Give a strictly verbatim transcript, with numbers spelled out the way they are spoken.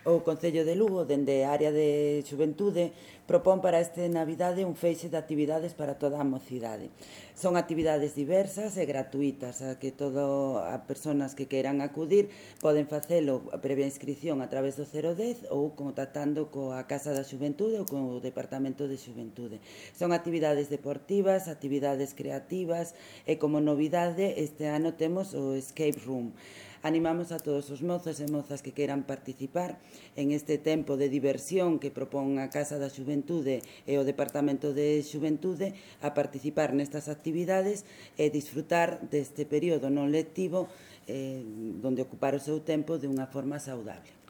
O Concello de Lugo, dende a área de xuventude, propón para este Navidade un feixe de actividades para toda a mocidade. Son actividades diversas e gratuitas, a que todo as persoas que queiran acudir poden facelo previa inscripción a través do cero dez ou contactando coa Casa da Xuventude ou co Departamento de Xuventude. Son actividades deportivas, actividades creativas e como novidade este ano temos o Escape Room. Animamos a todos os mozos e mozas que queiran participar en este tempo de diversión que propón a Casa da Xuventude e o Departamento de Xuventude a participar nestas actividades e disfrutar deste período non lectivo eh, donde ocupar o seu tempo de unha forma saudable.